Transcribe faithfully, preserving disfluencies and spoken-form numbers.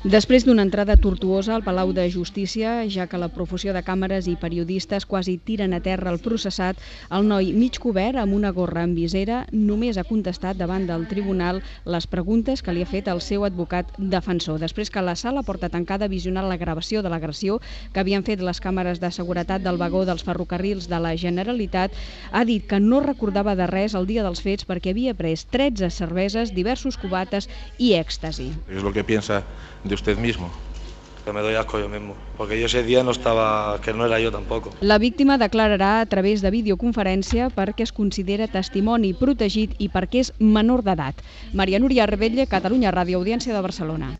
Després d'una entrada tortuosa al Palau de Justícia, ja que la profusió de càmeres i periodistes quasi tiren a terra el processat, el noi mig cobert amb una gorra amb visera només ha contestat davant del tribunal les preguntes que li ha fet el seu advocat defensor. Després que la sala porta tancada ha visionat la gravació de l'agressió que havien fet les càmeres de seguretat del vagó dels ferrocarrils de la Generalitat, ha dit que no recordava de res el dia dels fets perquè havia pres tretze cerveses, diversos cubates i èxtasi. És el que piensa de usted mismo. Que me doy asco yo mismo, porque yo ese día no estaba, que no era yo tampoco. La víctima declararà a través de videoconferència perquè es considera testimoni protegit i perquè és menor d'edat. Maria Núria Rebetlle, Catalunya Ràdio, Audiència de Barcelona.